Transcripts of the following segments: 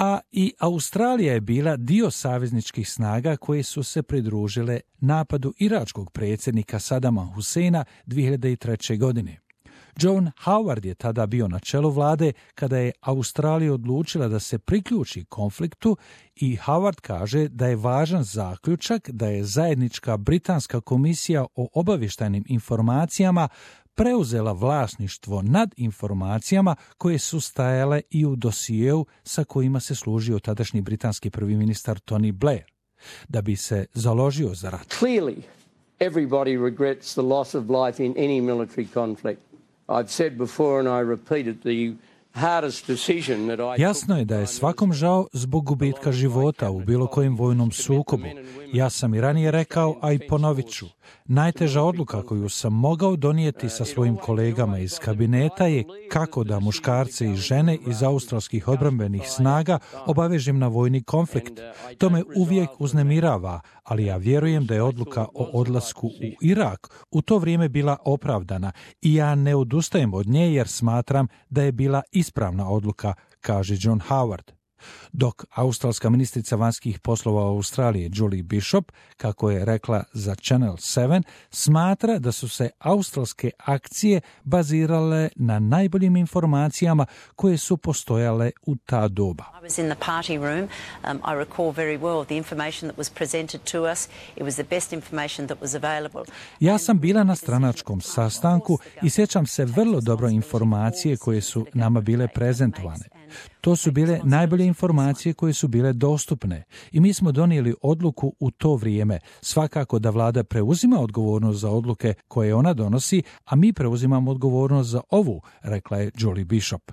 A i Australija je bila dio savezničkih snaga koje su se pridružile napadu iračkog predsjednika Sadama Huseina 2003. godine. John Howard je tada bio na čelu vlade kada je Australija odlučila da se priključi konfliktu i Howard kaže da je važan zaključak da je zajednička britanska komisija o obavještajnim informacijama preuzela vlasništvo nad informacijama koje su stajale i u dosijeu sa kojima se služio tadašnji britanski prvi ministar Tony Blair, da bi se založio za rat. Clearly, everybody regrets the loss of life in any military conflict. I've said before and I repeat it, the hardest decision that I... Jasno je da je svakom žao zbog gubitka života u bilo kojem vojnom sukobu. Ja sam i ranije rekao, a i ponovit ću. Najteža odluka koju sam mogao donijeti sa svojim kolegama iz kabineta je kako da muškarce i žene iz australskih odbrambenih snaga obavežem na vojni konflikt. To me uvijek uznemirava, ali ja vjerujem da je odluka o odlasku u Irak u to vrijeme bila opravdana i ja ne odustajem od nje jer smatram da je bila ispravna odluka, kaže John Howard. Dok australska ministrica vanjskih poslova Australije Julie Bishop, kako je rekla za Channel 7, smatra da su se australske akcije bazirale na najboljim informacijama koje su postojale u ta doba. I was in the party room. I recall very well the information that was presented to us. It was the best information that was available. Ja sam bila na stranačkom sastanku i sjećam se vrlo dobro informacije koje su nama bile prezentovane. To su bile najbolje informacije koje su bile dostupne i mi smo donijeli odluku u to vrijeme. Svakako da vlada preuzima odgovornost za odluke koje ona donosi, a mi preuzimamo odgovornost za ovu, rekla je Julie Bishop.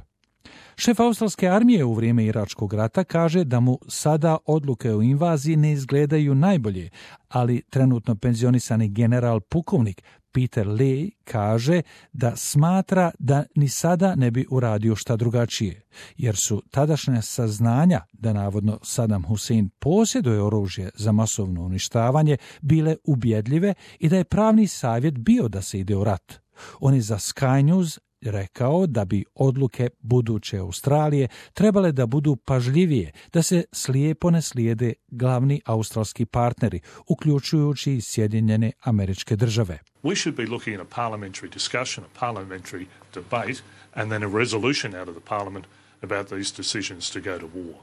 Šef australske armije u vrijeme Iračkog rata kaže da mu sada odluke o invaziji ne izgledaju najbolje, ali trenutno penzionisani general pukovnik Peter Lee kaže da smatra da ni sada ne bi uradio šta drugačije, jer su tadašnja saznanja da navodno Saddam Hussein posjeduje oružje za masovno uništavanje bile ubjedljive i da je pravni savjet bio da se ide u rat. On je za Sky News rekao da bi odluke buduće Australije trebale da budu pažljivije, da se slijepo ne slijede glavni australski partneri, uključujući i Sjedinjene Američke Države. We should be looking at a parliamentary discussion, a parliamentary debate, and then a resolution out of the parliament about these decisions to go to war.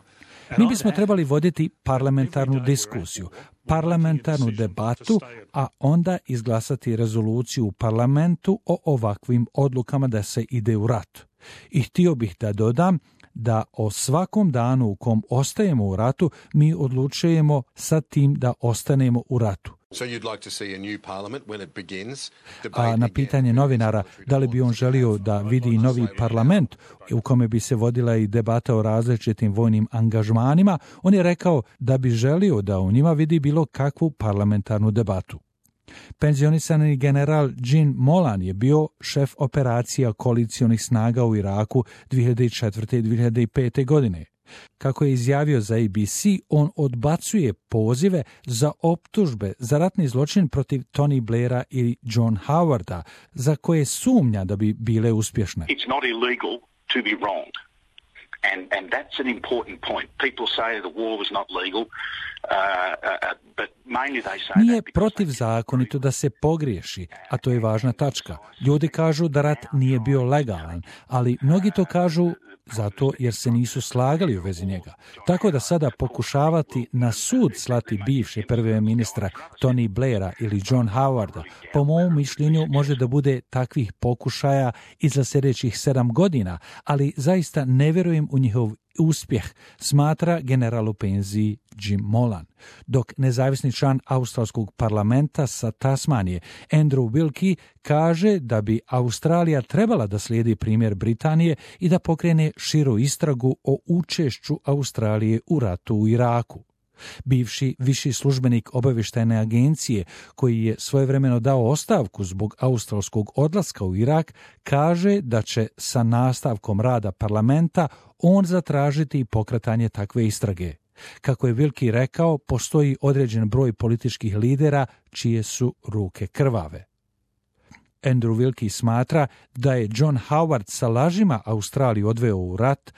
Mi bismo trebali voditi parlamentarnu diskusiju, parlamentarnu debatu, a onda izglasati rezoluciju u parlamentu o ovakvim odlukama da se ide u rat. I htio bih da dodam da o svakom danu u kom ostajemo u ratu, mi odlučujemo sa tim da ostanemo u ratu. A na pitanje novinara da li bi on želio da vidi novi parlament u kome bi se vodila i debata o različitim vojnim angažmanima, on je rekao da bi želio da u njima vidi bilo kakvu parlamentarnu debatu. Penzionisani general Jim Molan je bio šef operacija koalicionih snaga u Iraku 2004. i 2005. godine. Kako je izjavio za ABC, on odbacuje pozive za optužbe za ratni zločin protiv Tony Blaira i John Howarda, za koje sumnja da bi bile uspješne. It's not illegal to be wronged. And that's an important point. People say the war was not legal. Nije protivzakonito da se pogriješi, a to je važna tačka. Ljudi kažu da rat nije bio legalan, ali mnogi to kažu zato jer se nisu slagali u vezi njega. Tako da sada pokušavati na sud slati bivše prve ministra Tony Blaira ili John Howarda, po mom mišljenju može da bude takvih pokušaja i za sljedećih 7 godina, ali zaista ne vjerujem u njihov uspjeh, smatra general u penziji Jim Molan. Dok nezavisni član australskog parlamenta sa Tasmanije Andrew Wilkie kaže da bi Australija trebala da slijedi primjer Britanije i da pokrene širu istragu o učešću Australije u ratu u Iraku. Bivši viši službenik obavještajne agencije, koji je svojevremeno dao ostavku zbog australskog odlaska u Irak, kaže da će sa nastavkom rada parlamenta on zatražiti pokretanje takve istrage. Kako je Wilkie rekao, postoji određen broj političkih lidera čije su ruke krvave. Andrew Wilkie smatra da je John Howard sa lažima Australiju odveo u rat,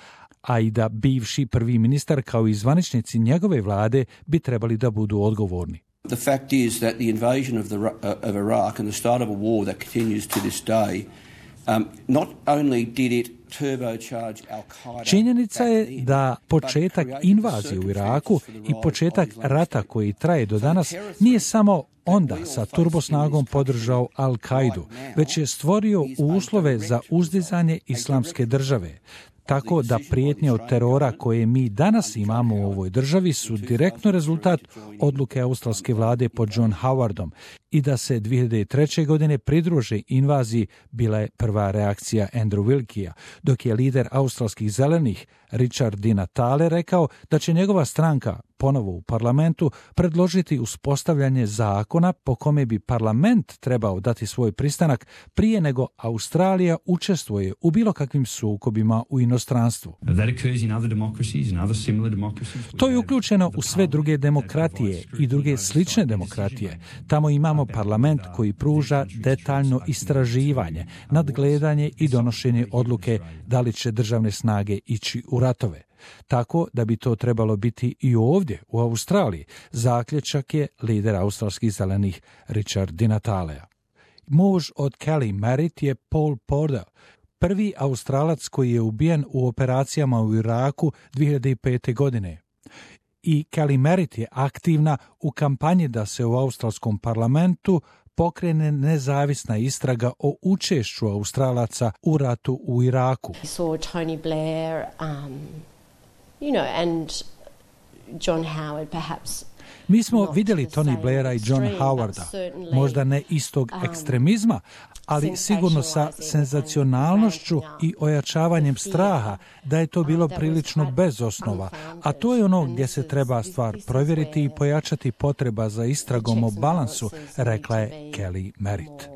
a i da bivši prvi ministar kao i zvaničnici njegove vlade bi trebali da budu odgovorni. The fact is that the invasion of Iraq and the start of a war that continues to this day, not only did it turbocharge Al-Qaeda. Činjenica je da početak invazije u Iraku i početak rata koji traje do danas nije samo onda sa turbosnagom podržao Al-Kaidu, već je stvorio uslove za uzdizanje islamske države. Tako da prijetnje od terora koje mi danas imamo u ovoj državi su direktno rezultat odluke australske vlade pod John Howardom i da se 2003. godine pridruže invaziji bila je prva reakcija Andrew Wilkija, dok je lider australskih zelenih Richard Di Natale rekao da će njegova stranka ponovo u parlamentu predložiti uspostavljanje zakona po kome bi parlament trebao dati svoj pristanak prije nego Australija učestvuje u bilo kakvim sukobima u inostranstvu. To je uključeno u sve druge demokratije i druge slične demokratije. Tamo imamo parlament koji pruža detaljno istraživanje, nadgledanje i donošenje odluke da li će državne snage ići u ratove. Tako da bi to trebalo biti i ovdje u Australiji, zaključak je lider australskih zelenih Richard Di Natalea. Muž od Kelly Merritt je Paul Porter, prvi Australac koji je ubijen u operacijama u Iraku 2005. godine. I Kelly Merritt je aktivna u kampanji da se u australskom parlamentu pokrene nezavisna istraga o učešću Australaca u ratu u Iraku. Tony Blair, and John Howard perhaps. Mi smo vidjeli Tony Blaira i John Howarda, možda ne istog ekstremizma, ali sigurno sa senzacionalnošću i ojačavanjem straha da je to bilo prilično bez osnova, a to je ono gdje se treba stvar provjeriti i pojačati potreba za istragom o balansu, rekla je Kelly Merritt.